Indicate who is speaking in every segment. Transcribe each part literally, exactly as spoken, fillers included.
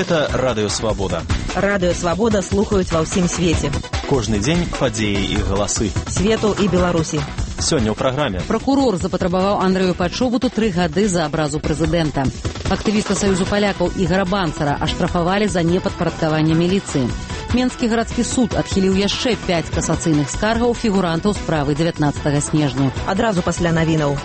Speaker 1: Гэта Радыё Свабода.
Speaker 2: Радыё Свабода слухаюць ва ўсім свеце.
Speaker 1: Кожны дзень падзеі і галасы.
Speaker 2: Свету і Беларусі.
Speaker 1: Сёння ў праграме.
Speaker 3: Пракурор запатрабаваў Андрэю Пачобуту тры гады за абразу прэзідэнта. Актывіста Саюзу палякаў Ігара Банцара аштрафавалі за непадпарадкаванне міліцыі. Менскі гарадскі суд адхіліў яшчэ пяць касацыйных скаргаў фігурантаў справы дзевятнаццатага снежня.
Speaker 2: Адразу пасля навінаў.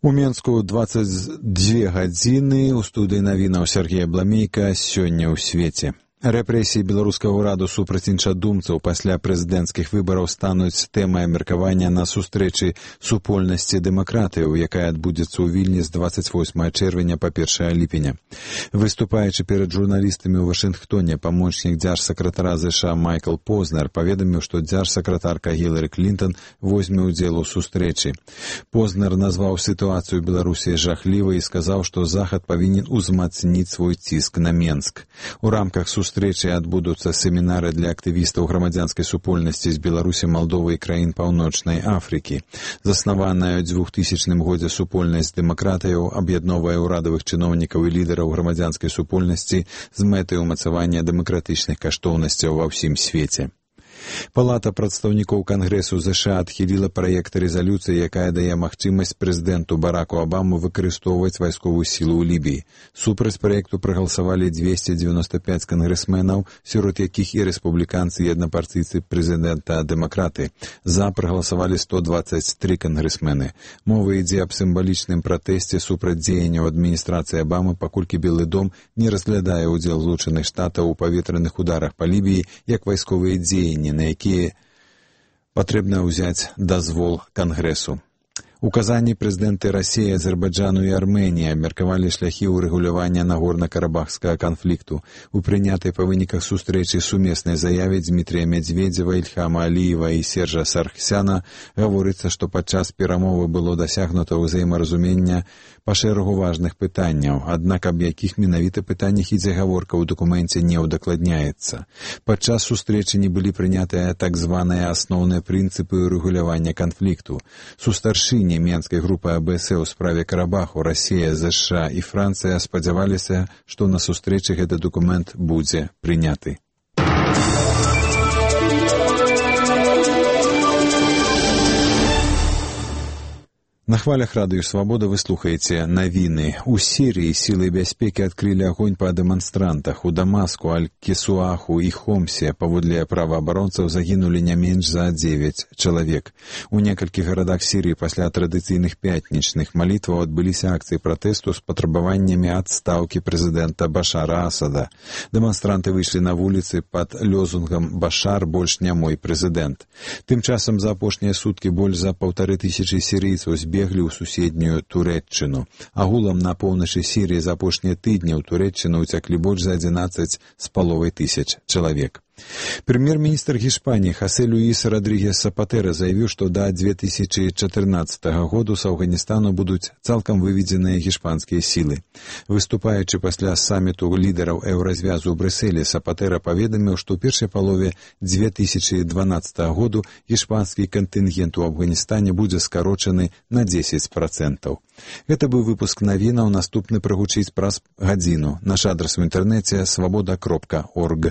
Speaker 4: У Менску дваццаць дзве гадзіны. У студыі навінаў Сергея Бламейка. Сёння ў свеце. Рэпрэсіі беларускага ўраду супраць іншадумцаў пасля прэзідэнцкіх выбараў стануць тэмай абмеркавання на сустрэчы супольнасці дэмакратыяў, якая адбудзецца ў Вільні з дваццаць восьмага чэрвеня па першае ліпеня. Выступаючы перад журналістамі ў Вашынгтоне, памочнік дзяржсакратара ЗША Майкл Познер паведаміў, што дзяржсакратарка Гілары Клінтон возьме ўдзел у сустрэчы. Познер назваў сітуацыю ў Беларусі жахлівай і сказаў, што Захад павінен узмацніць свой ціск на Менск. У рамках сустрэчы Сустрэчы адбудуцца семінары для актывістаў грамадзянскай супольнасці з Беларусі, Малдовы і краін Паўночнай Афрыкі. Заснаваная ў двухтысячным годзе супольнасць дэмакратыяў аб'ядноўвае ўрадавых чыноўнікаў і лідараў грамадзянскай супольнасці з мэтай умацавання дэмакратычных каштоўнасцяў ва ўсім свеце. Палата прадстаўнікоў Кангрэсу ЗША адхіліла праект рэзалюцыі, якая дае магчымасць прэзідэнту Бараку Абаму выкарыстоўваць вайсковую сілу ў Лібіі. Супраць праекту прагаласавалі дзвесце дзевяноста пяць кангрэсменаў, сярод якіх і рэспубліканцы і аднапартыйцы прэзідэнта-дэмакраты. За прагаласавалі сто дваццаць тры кангрэсмены. Мова ідзе аб сімвалічным пратэсце супраць дзеянняў адміністрацыі Абамы, паколькі Белы дом не разглядае ўдзел Злучаных Штатаў у паветраных ударах па Лібіі як вайсковыя дзеянні, на якія патрэбна ўзяць дазвол Кангрэсу. У Казані прэзідэнты Расіі, Азербайджану і Арменіі абмеркавалі шляхі ўрэгулявання нагорна-карабахскага канфлікту. У прынятай па выніках сустрэчы сумеснай заяве Дмітрія Медведзева, Ільхама Аліева і Сержа Сарксяна гаворыцца, што падчас перамовы было дасягнута ўзаемаразумення па шэрагу важных пытанняў, аднак аб якіх менавіта пытаннях ідзе гаворка ў дакуменце не ўдакладняецца. Падчас сустрэчы не былі прынятыя так званыя асноўныя прынцыпы ўрэгулявання канфлікту. Сустаршыні Менскай групы АБС у справе Карабаху, Расія, ЗША і Францыя спадзяваліся, што на сустрэчы гэты дакумент будзе прыняты. На хвалях Радыё Свабода вы слухаеце навіны. У Сірыі сілы бяспекі адкрылі агонь па дэманстрантах. У Дамаску, Аль-Кесуаху і Хомсе паводле праваабаронцаў загінулі не менш за дзевяць чалавек. У некалькіх гарадах Сірыі пасля традыцыйных пятнічных малітваў адбыліся акцыі пратэсту з патрабаваннямі адстаўкі прэзідэнта Башара Асада. Дэманстранты выйшлі на вуліцы пад лёзунгам «Башар больш не мой прэзідэнт». Тым часам за апошнія суткі больш за паўтары тысячы сірыйцаў збеглі беглі ў суседнюю Турэччыну. Агулам на поўначы Сірыі за апошнія тыдні ў Турэччыну ўцяклі больш за адзінаццаць з паловай тысяч чалавек. Прэм'ер-міністр Гішпаніі Хасе Люіс Радрігес Сапатэра заявіў, што да две тысячы чатырнаццатага году з Афганістану будуць цалкам выведзеныя гішпанскія сілы. Выступаючы пасля саміту лідараў еўразвязу ў Брюсселі, Сапатэра паведаміў, што ў першай палове две тысячы дванаццатага году гішпанскі кантынгент у Афганістане будзе скарочаны на дзесяць працэнтаў. Гэта быў выпуск навінаў, наступны прагучыць праз гадзіну. Наш адрас у інтэрнэце свабода кропка орг.